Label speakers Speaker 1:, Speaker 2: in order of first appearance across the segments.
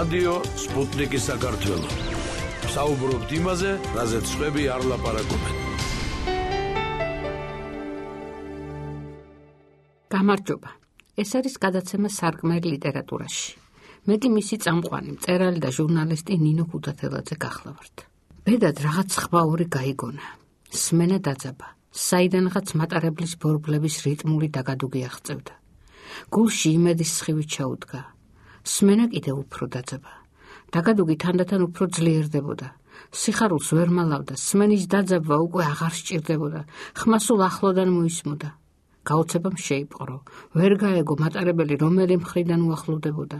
Speaker 1: რადიო სპუტნიკი საქართველო. საუბრობთ იმაზე, რაზეც სხვები არ ლაპარაკობენ.
Speaker 2: გამარჯობა. ეს არის გადაცემა სარკმელი ლიტერატურაში. მეტი მისი წამყვანი, მწერალი და ჟურნალისტი ნინო ქუთათელაძე გახლავართ. ბედად რაღაც ხვაური გაიგონა. სმენა დაძაბა. საიდანღაც მატარებლის ბორბლების რიტმული დაგადუგი აღწევდა. გულში იმედის სხივი ჩაუდგა. სმენა კიდევ უფრო დაძაბა. დაგადუგი თანდათან უფრო ძლიერდებოდა. სიხარულს ვერ მალავდა, სმენის დაძაბვა უკვე აღარ სჭირდებოდა. ხმა სულ ახლოდან მოისმოდა. გაოცებამ შეიპყრო. ვერ გაეგო მატარებელი რომელი მხრიდან უახლოვდებოდა.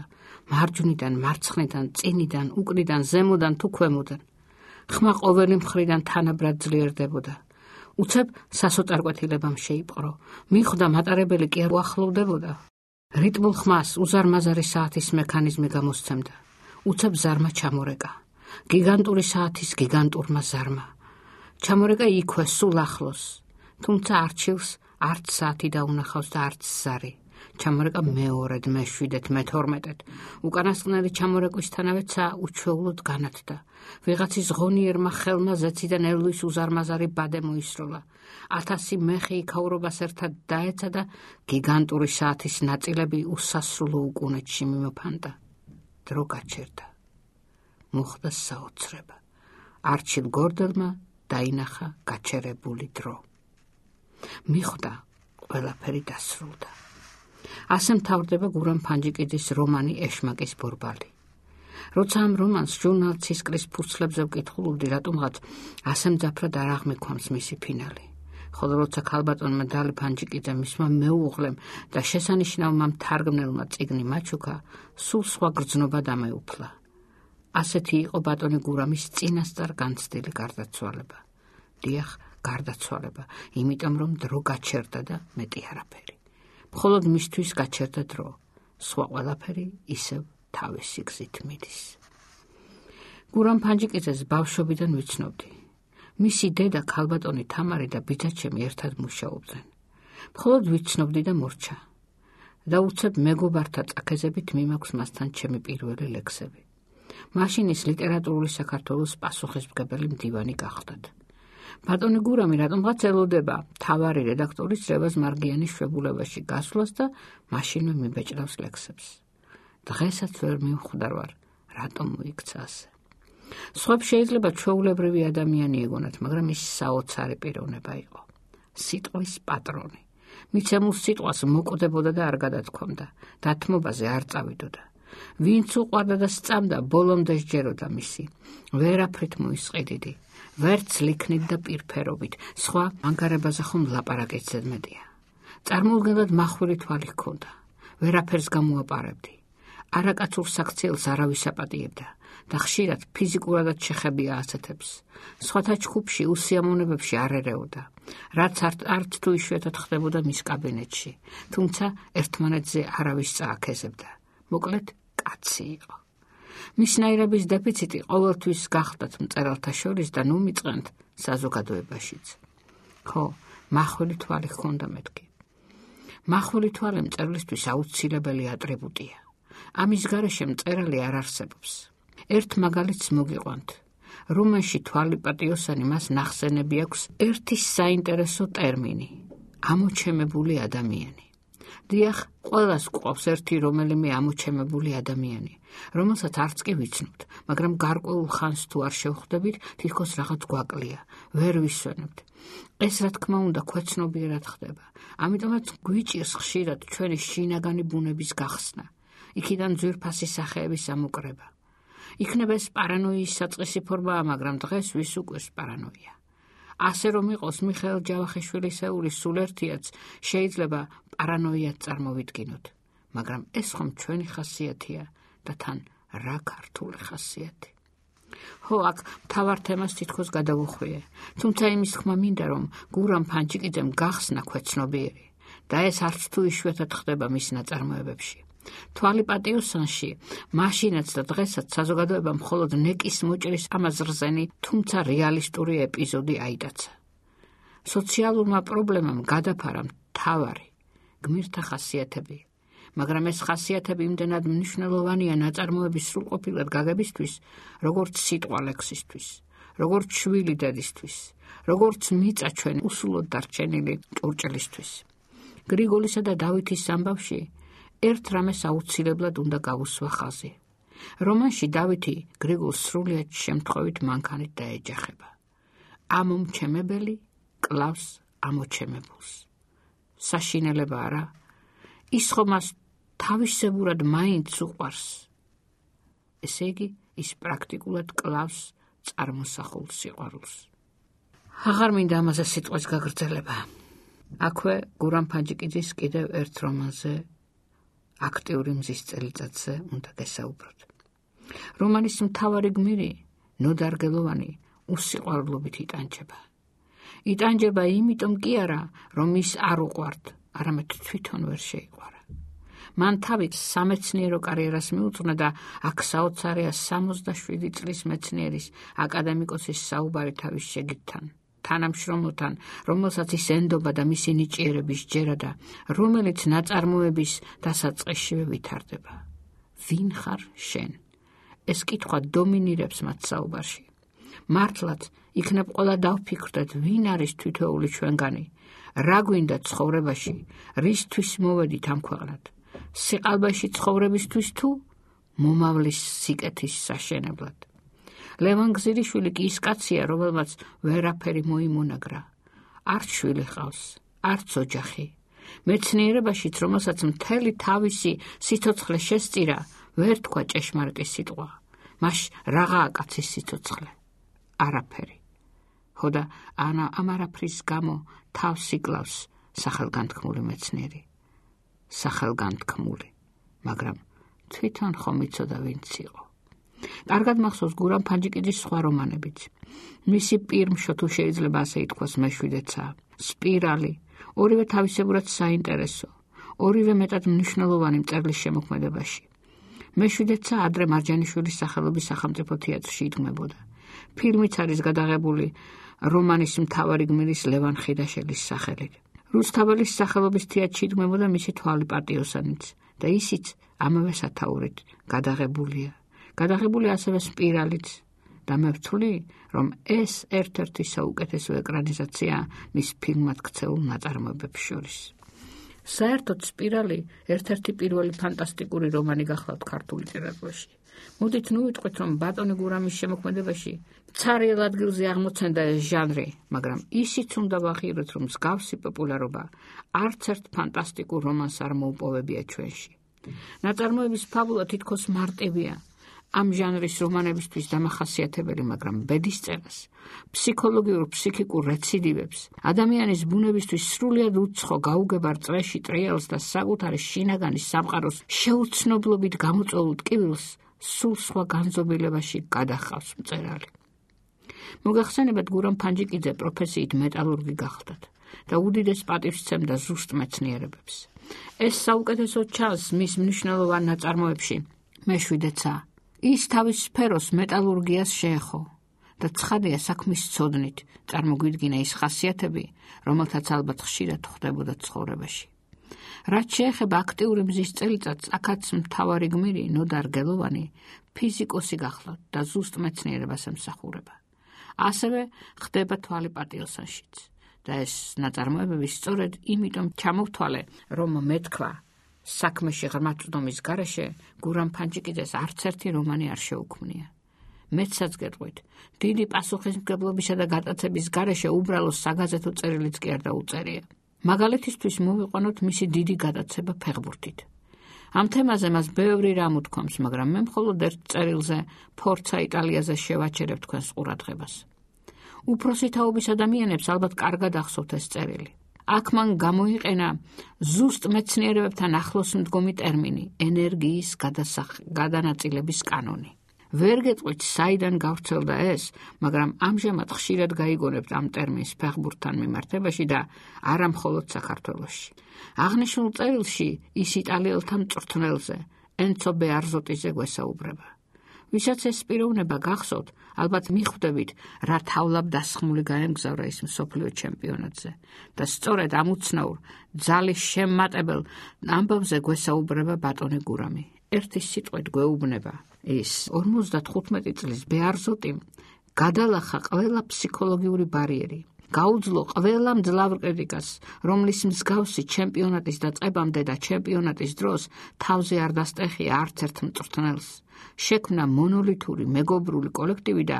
Speaker 2: მარჯვნიდან, მარცხნიდან, წინიდან, უკნიდან, ზემოდან თუ ქვემოდან. ხმა ყოველი მხრიდან თანაბრად ძლიერდებოდა. უცებ სასოწარკვეთილებამ შეიპყრო. მიხვდა მატარებელი კი არ უახლოვდებოდა. რიტმულ ხმას უზარმაზარი საათის მექანიზმი გამოსცემდა. უცებ ზარმა ჩამორეკა. გიგანტური საათის გიგანტურმა ზარმა. ჩამორეკა იქვე სულ ახლოს. თუმცა არჩილს არც საათი დაუნახავს და არც ზარი. ჩამორეკა მეორედ, მეშვიდეთ, მეთორმეტედ. უკანასკნელი ჩამორეკვისთანავეცა უჩვეულოდ განათდა. ვიღაცის ღონიერმა ხელმა ზეციდან ელვის უზარმაზარი ბადე მოისროლა. 1000 მეხი იქაურობას ერთად დაეცა და გიგანტური საათის ნაწილები უსასრულო უკუნეთში მიმოფანტა. დრო გაჩერდა. მოხდა საოცრება. არჩილ გორდელმა დაინახა გაჩერებული დრო. მიხვდა, ყველაფერი დასრულდა. ასე მთავრდება გურამ ფანჯიკიძის რომანი ეშმაკის ბორბალი. როცა ამ რომანს ჟურნალ ცისკრის ფურცლებზე ვკითხულობდი, რატომღაც ასე მძაფრად არ აღმექვამს მისი ფინალი. ხოლო როცა ქალბატონმა დალი ფანჯიკიძე მისმა მეუღლემ და შესანიშნავმა მთარგმნელმა წიგნი მაჩუქა, სულ სხვა გრძნობა დამეუფლა. ასეთი იყო ბატონი გურამის წინასწარ განცდილი გარდაცვალება. დიახ, გარდაცვალება, იმიტომ რომ დრო გაჩერდა და მეტი არაფერი. მხოლოდ მისთვის გაჩერდა დრო, სხვა ყველაფერი ისევ თავისი გზით მიდის. გურამ ფანჯიკიძეს ბავშვობიდან ვიცნობდი. მისი დედა ქალბატონი თამარი და ბიძაჩემი ერთად მუშაობდნენ. მხოლოდ ვიცნობდი და მორჩა. და უცებ მეგობართა წაქეზებით მიმაქვს მასთან ჩემი პირველი ლექსები. მაშინ ის ლიტერატურული საქართველოს პასუხისმგებელი მდივანი გახდათ. ბატონი გურამი რატომღაც ელოდება თავარი რედაქტორის რევაზ მარგიანის შვებულებაში გასვლას და მაშინვე მიბეჭდავს ლექსებს. დღესაც ვერ მივხვდარ ვარ, რატომ მოიქცა ასე. სხვებს შეიძლება ჩვეულებრივი ადამიანი ეგონათ, მაგრამ ის საოცარი პიროვნება იყო. სიტყვის პატრონი. მიცემულ სიტყვას მოკვდებოდა და არ გადათქვამდა, დათმობაზე არ წავიდოდა. ვინც უყვარდა და სწამდა, ბოლომდე სჯეროდა მისი. ვერაფრით მოისყიდიდი. ვერც ლიქნით და პირფერობით, სხვა ანგარებაზე ხომ ლაპარაკიც ზედმეტია. წარმოუდგენლად მახვილი თვალი ჰქონდა. ვერაფერს გამოაპარებდი. არაკაცურ საქციელს არავის აპატიებდა და ხშირად ფიზიკურადაც შეხებია ასეთებს. სხვათა ჯგუფში, უსიამოვნებებში არ ერეოდა, რაც არც თუ იშვიათად ხდებოდა მის კაბინეტში, თუმცა ერთმანეთზე არავის წააქეზებდა. მოკლედ, კაცი იყო. მისნაირების დეფიციტი ყოველთვის გახდათ მწერალთა შორის და ნუ მიწყენთ საზოგადოებაშიც. ხო, მახვილი თვალი ჰქონდა მეთქი. მახვილი თვალი მწერლისთვის აუცილებელი ატრიბუტია. ამის გარეშე მწერალი არ არსებობს. ერთ მაგალითს მოგიყვანთ. რომანში თვალი პატიოსანი მას ნახსენები აქვს ერთი საინტერესო ტერმინი ამოჩემებული ადამიანი. დიახ, ყველას გვყავს ერთი რომელიმე ამოჩემებული ადამიანი, რომელსაც არც კი ვიცნობთ, მაგრამ გარკვეულ ხანს თუ არ შევხვდებით, თითქოს რაღაც გვაკლია, ვერ ვისვენებთ. ეს რა თქმა უნდა ქვეცნობიერად ხდება, ამიტომაც გვიჭირს ხშირად ჩვენი შინაგანი ბუნების გახსნა, იქიდან ძვირფასი სახეების ამოკრება. იქნება ეს პარანოიის საწყისი ფორმაა, მაგრამ დღეს ვის უკვეს პარანოია. ასე რომ იყოს მიხეილ ჯავახიშვილისეული სულ ერთიაც შეიძლება პარანოიად წარმოვიდგინოთ, მაგრამ ეს ხომ ჩვენი ხასიათია და თან რა ქართული ხასიათი. ხო, აქ მთავარ თემას თითქოს გადავუხვიე, თუმცა იმის თქმა მინდა, რომ გურამ ფანჯიკიძემ გახსნა ქვეცნობიერი და ეს არც თუ იშვიათად ხდება მის ნაწარმოებებში. თვალი პატიოსანში მაშინაც და დღესაც საზოგადოებამ მხოლოდ ნეკის მოჭრის ამაზრზენი, თუმცა რეალისტური ეპიზოდი აიტაცა. სოციალურმა პრობლემამ გადაფარა მთავარი გმირთა ხასიათები, მაგრამ ეს ხასიათები იმდენად მნიშვნელოვანია ნაწარმოების სრულყოფილად გაგებისთვის, როგორც სიტყვა ლექსისთვის, როგორც შვილი დედისთვის, როგორც მიწა ჩვენ უსულოდ დარჩენილი ჭურჭელისთვის. გრიგოლისა და დავითის ამბავში ერთ რამეს აუცილებლად უნდა გავუსვა ხაზი. რომანში დავითი გრიგოლს სრულიად შემთხვევით მანქანით დაეჯახება. ამომჩემებელი კლავს ამოჩემებულს. საშინელება არა, ის ხომ მას თავისებურად მაინც უყვარს. ესე იგი, ის პრაქტიკულად კლავს წარმოსახულ სიყვარულს. აღარ მინდა ამაზე სიტყვის გაგრძელება. აქვე გურამ ფანჯიკიძის კიდევ ერთ რომანზე, აქტიური მზის წელიწადზე უნდა გესაუბროთ. რომანის მთავარი გმირი, ნოდარგელოვანი, უსიყვარულობით იტანჯება. იტანჯება იმიტომ კი არა, რომ ის არ უყვართ, არამედ თვითონ ვერ შეიყვარა. მან თავი სამეცნიერო კარიერას მიუძღვნა და აქ საოცარია 67 წლის მეცნიერის აკადემიკოსის საუბარი თავის შეგირდთან, თანამშრომლთან, რომელსაც ის ენდობა და მისი ნიჭიერების ჯერა და რომელიც ნაწარმოების დასაწყისშივე ვითარდება. ვინ ხარ შენ? ეს კითხვა დომინირებს მათ საუბარში. მართლაც იქნებ ყველა დავფიქრდეთ, ვინ არის თითოეული ჩვენგანი, რა გვინდა ცხოვრებაში, რისთვის მოვედით ამ ქვეყნად, სიყალბეში ცხოვრებისთვის თუ მომავლის სიკეთის საშენებლად. ლევან გზირიშვილი კი ის კაცია, რომელმაც ვერაფერი მოიმონაგრა. არც შვილი ჰყავს, არც ოჯახი. მეცნიერებაშიც, რომელსაც მთელი თავისი სიცოცხლე შესწირა, ვერ თქვა ჭეშმარიტი სიტყვა. მას რაღაცა კაცის სიცოცხლე. არაფერი. ხოდა ამ არაფრის გამო თავს იკლავს სახელგანთქმული მეცნიერი. სახელგანთქმული, მაგრამ თვითონ ხომ იცოდა ვინც იყო. კარგად მახსოვს გურამ ფანჯიკიძის სხვა რომანებიც. მისი პირმშო, თუ შეიძლება ასე ითქვას, მეშვიდეცა, სპირალი, ორივე თავისებურად საინტერესო, ორივე მეტად მნიშვნელოვანი მწერლის შემოქმედებაში. მეშვიდეცა ადრე მარჯანიშვილის სახელობის სახელმწიფო თეატრში იდგმებოდა. ფილმიც არის გადაღებული რომანის მთავარი გმირის ლევან ხიდაშელის სახელით. რუსთაველის სახელობის თეატრში იდგმებოდა მისი თვალი პატიოსანიც და ისიც ამავე სათაურით გადაღებულია. გადაღებული ასევე სპირალიც და მე ვთვლი, რომ ეს ერთ-ერთი საუკეთესო ეკრანიზაცია მის ფილმად ქცეულ ნაწარმოებებს შორის. საერთოდ სპირალი ერთ-ერთი პირველი ფანტასტიკური რომანი გახლავთ ქართულ ლიტერატურაში. მოდით ნუ ვიტყვით, რომ ბატონი გურამის შემოქმედებაში ცარიელ ადგილზე აღმოცენდა ეს ჟანრი, მაგრამ ისიც უნდა ვაღიაროთ, რომ მსგავსი პოპულარობა არც ერთ ფანტასტიკურ რომანს არ მოუპოვებია ჩვენში. ნაწარმოების ფაბულა თითქოს მარტივია. ამ ჟანრის რომანებისთვის დამახასიათებელი, მაგრამ ბედისწერას, ფსიქოლოგიურ-ფსიქიკურ რეციდივებს, ადამიანის ბუნებისთვის სრულიად უცხო გაუგებარ წრეში ტრიალს და საკუთარი შინაგანის სამყაროს შეუცნობლობით გამოწვეულ ტკივილს სულ სხვა განზომილებაში გადახავს მწერალი. მოგახსენებათ, გურამ ფანჯიკიძე პროფესიით მეტალურგი გახლდათ და უდიდეს პატივს სცემდა ზუსტ მეცნიერებებს. ეს საუკეთესო ჩანს მის მნიშვნელოვან ნაწარმოებში მეშვიდეცა. ის თავის სფეროს მეტალურგიას შეეხო და ცხადია საქმის ცოდნით წარმოგვიდგინა ის ხასიათები, რომელთაც ალბათ ხშირად ხდებოდა ცხოვრებაში. რაც შეეხება აქტიური მზის წელიწადს, აქაც მთავარი გმირი ნოდარგელოვანი ფიზიკოსი გახლავთ და ზუსტ მეცნიერებას ემსახურება. ასევე ხდება თვალი პატიოსანშიც და ეს ნაწარმოებები სწორედ იმიტომ ჩამოვთვალე, რომ მეთქვა საქმეში ღრმაწვდომის გარეშე გურამ ფანჯიკიძეს არც ერთი რომანი არ შეუქმნია. მეცაც გეტყვით, დიდი პასუხისმგებლობისა და გატაცების გარეშე უბრალო საგაზეთო წერილიც კი არ დაუწერია. მაგალითისთვის მოვიყვანოთ მისი დიდი გატაცება ფეხბურთით. ამ თემაზე მას ბევრი რამ უთქვამს, მაგრამ მე მხოლოდ ერთ წერილზე ფორცა იტალიაზე შევაჩერებ თქვენს ყურადღებას. უფროსი თაობის ადამიანებს ალბათ კარგად ახსოვთ ეს წერილი. აქ მან გამოიყენა ზუსტ მეცნიერებებთან ახლოს მდგომი ტერმინი ენერგიის გადანაწილების კანონი. ვერ გეტყვით, საიდან გავრცელდა ეს, მაგრამ ამჟამად ხშირად გაიგონებთ ამ ტერმინს ფეხბურთთან მიმართებაში და არა მხოლოდ საქართველოში. აღნიშნულ წერილში ის იტალიელთა მწვრთნელზე, ენცო ბეარზოტიზე გვესაუბრება. ვისაც ეს პიროვნება გახსოვთ, ალბათ მიხვდებით, რა თავლაბდასხმული გაემგზავრა ის მსოფლიო ჩემპიონატზე და სწორედ ამ უცნაურ, ძალის შემმატებელ ამბავზე გვესაუბრება ბატონი გურამი. ერთი სიტყვით გვეუბნება, ის 55 წლის ბეარზოტიმ გადალახა ყველა ფსიქოლოგიური ბარიერი. გაუძლო ყველა მძლავრ კრიტიკას, რომლის მსგავსი ჩემპიონატის დაწყებამდე და ჩემპიონატის დროს თავზე არ დასტეხია არც ერთ მწვრთნელს. შექმნა მონოლითური მეგობრული კოლექტივი და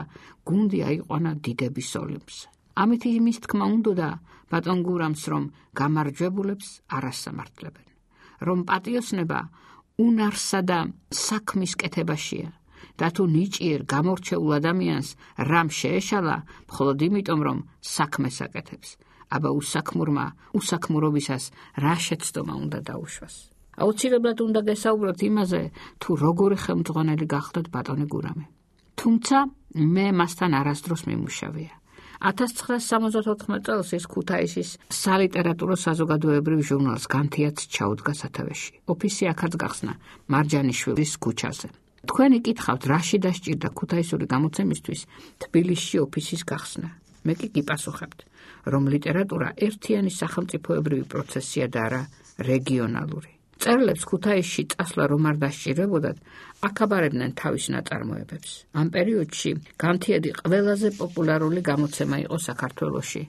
Speaker 2: გუნდი აიყვანა დიდების ოლიმპზე. ამით იმის თქმა უნდოდა ბატონ გურამს, რომ გამარჯვებულებს არ ასამართლებენ, რომ პატიოსნება უნარსა და საქმის კეთებაშია და თუ ნიჭიერ გამორჩეულ ადამიანს რამ შეეშალა, მხოლოდ იმიტომ, რომ საქმეს აკეთებს, აბა უსაქმურმა უსაქმურობისას რა შეცდომა უნდა დაუშვას. აუცილებლად უნდა გესაუბროთ იმაზე, თუ როგორი ხელმძღვანელი გახლდათ ბატონი გურამი. თუმცა მე მასთან არასდროს მიმუშავია. 1974 წელს ის ქუთაისის სალიტერატურო საზოგადოებრივ ჟურნალს განთიაც ჩაუდგა სათავეში. ოფისი აქაც გახსნა მარჯანიშვილის ქუჩაზე. თქვენი კითხავთ, რაში დასჭირდა ქუთაისური გამოცემისთვის თბილისში ოფისის გახსნა. მე კი გიპასუხებთ, რომ ლიტერატურა ერთიანი სახელმწიფოებრივი პროცესია და არა რეგიონალური. მწერლებს ქუთაისში წასვლა რომ არ დასჭირებოდათ, აკაბარებდნენ თავის ნაწარმოებებს. ამ პერიოდში განთიადი ყველაზე პოპულარული გამოცემა იყო საქართველოში.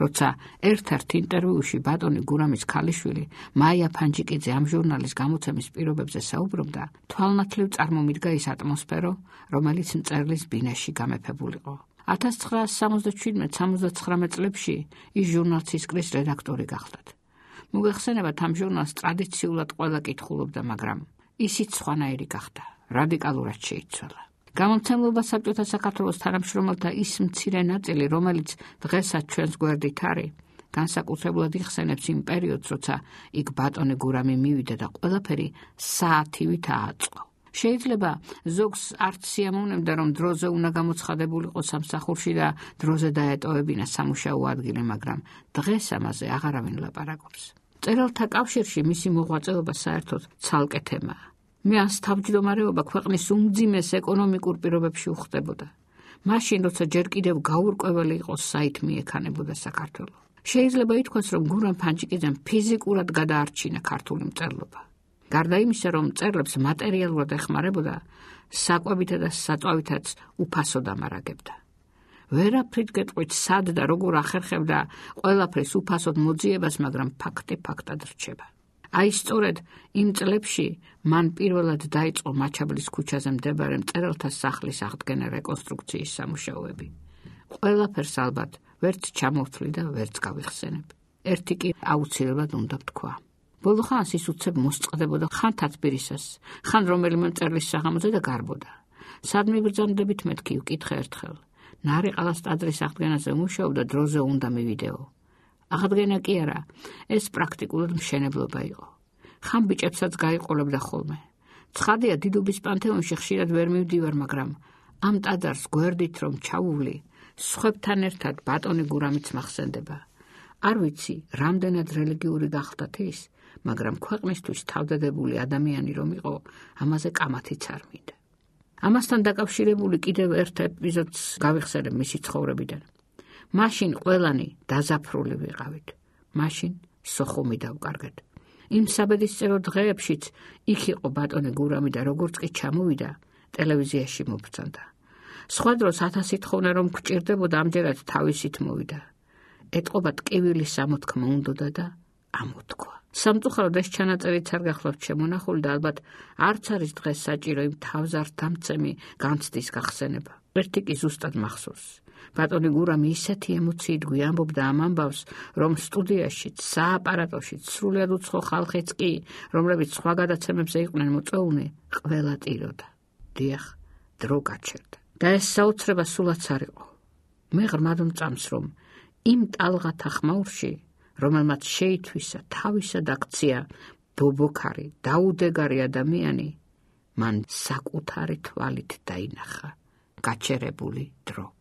Speaker 2: როცა ერთ-ერთ ინტერვიუში ბატონი გურამის ქალიშვილი მაია ფანჯიკიძე ამ ჟურნალის გამოცემის პირობებზე საუბრობდა, თვალნათლივ წარმომიდგა ის ატმოსფერო, რომელიც მწერლის ბინაში გამეფებულიყო. 1977-79 წლებში ის ჟურნალს ისკრის რედაქტორი გახლდათ. მოგეხსენებათ, ამ ჟურნალს ტრადიციულად ყველა კითხულობდა, მაგრამ ისიც სხვანაირი გახდა, რადიკალურად შეიცვალა. გამომცემლობა საბჭოთა საქართველოს თანამშრომელთა ის მცირე ნაწილი, რომელიც დღესაც ჩვენს გვერდით არის, განსაკუთრებულად იხსენებს იმ პერიოდს, როცა იქ ბატონი გურამი მივიდა და ყველაფერი საათივით ააწყო. შეიძლება ზოგს არც სიამოვნებდა, რომ დროზე უნდა გამოცხადებულიყო სამსახურში და დროზე დაეტოვებინა სამუშაო ადგილი, მაგრამ დღეს ამაზე აღარავინ ლაპარაკობს. მწერალთა კავშირში მისი მოღვაწეობა საერთოდ ცალკე თემაა. მე ამ თავმჯდომარეობა ქვეყნის უმძიმეს ეკონომიკურ პირობებში უხდებოდა. მაშინ, როცა ჯერ კიდევ გაურკვეველი იყო საით მიექანებოდა საქართველო. შეიძლება ითქვას, რომ გურამ ფანჯიკიძემ ფიზიკურად გადაარჩინა ქართული მწერლობა. გარდა იმისა, რომ მწერლებს მატერიალურად ეხმარებოდა, საკვებითა და საწვავითაც უფასოდ ამარაგებდა. ვერაფრით გეტყვით სად და როგორ ახერხებდა ყველაფრის უფასოდ მოძიებას, მაგრამ ფაქტი ფაქტად რჩება. აი სწორედ იმ წლებში მან პირველად დაიწყო მაჩაბლის ქუჩაზე მდებარე მწერალთა სახლის აღდგენა რეკონსტრუქციის სამუშაოები. ყველაფერს ალბათ ვერც ჩამოვთვლი და ვერც გავიხსენებ. ერთი კი აუცილებლად უნდა ვთქვა. ბოლო ხანს ის უცებ მოსწყდებოდა ხან თათბირისას, ხან რომელიმე მწერლის საღამოზე და გარბოდა. სად მიბრძანდებით მეთქი ვკითხე ერთხელ. ნარიყალას ტაძრის აღდგენაზე მუშაობდა, დროზე უნდა მივიდეო. აღდგენა კი არა, ეს პრაქტიკულად მშენებლობა იყო. ხან ბიჭებსაც გაიყოლებდა ხოლმე. ცხადია, დიდუბის პანთეონში ხშირად ვერ მივდივარ, მაგრამ ამ ტაძარს გვერდით რომ ჩავუვლი, სხვებთან ერთად ბატონი გურამიც მახსენდება. არ ვიცი, რამდენად რელიგიური გახლდათ ის, მაგრამ ქვეყნისთვის თავდადებული ადამიანი რომ იყო, ამაზე კამათიც არ მინდა. ამასთან დაკავშირებული კიდევ ერთ ეპიზოდს გავიხსენებ მისი ცხოვრებიდან. მაშინ ყველანი დაზაფრული ვიყავით. მაშინ სოხუმი დავკარგეთ. იმ საბედისწერო დღეებშიც იქ იყო ბატონი გურამი და როგორც კი ჩამოვიდა, ტელევიზიაში მობრძანდა. სხვა დროს 1000 თხოვნა რომ გვჭირდებოდა, ამჯერად თავისით მოვიდა. ეტყობა ტკივილის ამოთქმა უნდოდა და ამოთქვა. სამწუხაროდ ეს ჩანაწერიც არ გახლავთ შემონახული და ალბათ არც არის დღეს საჭირო იმ თავზარდამცემი განცდის გახსენება. ერთი კი ზუსტად მახსოვს. ბატონი გურამი ისეთი ემოციით გვიამბობდა ამ ამბავს, რომ სტუდიაშიც, სააპარატოშიც, სრულიად უცხო ხალხიც კი, რომლებიც სხვა გადაცემებზე იყვნენ მოწვეულნი, ყველა ტიროდა. დიახ, დრო გაჩერდა. და ეს საოცრება სულაც არ იყო. მე ღრმად მწამს, რომ იმ ტალღათა ხმაურში, რომელმაც შეითვისა თავისად აქცია ბობოქარი, დაუდეგარი ადამიანი, მან საკუთარი თვალით დაინახა გაჩერებული დრო.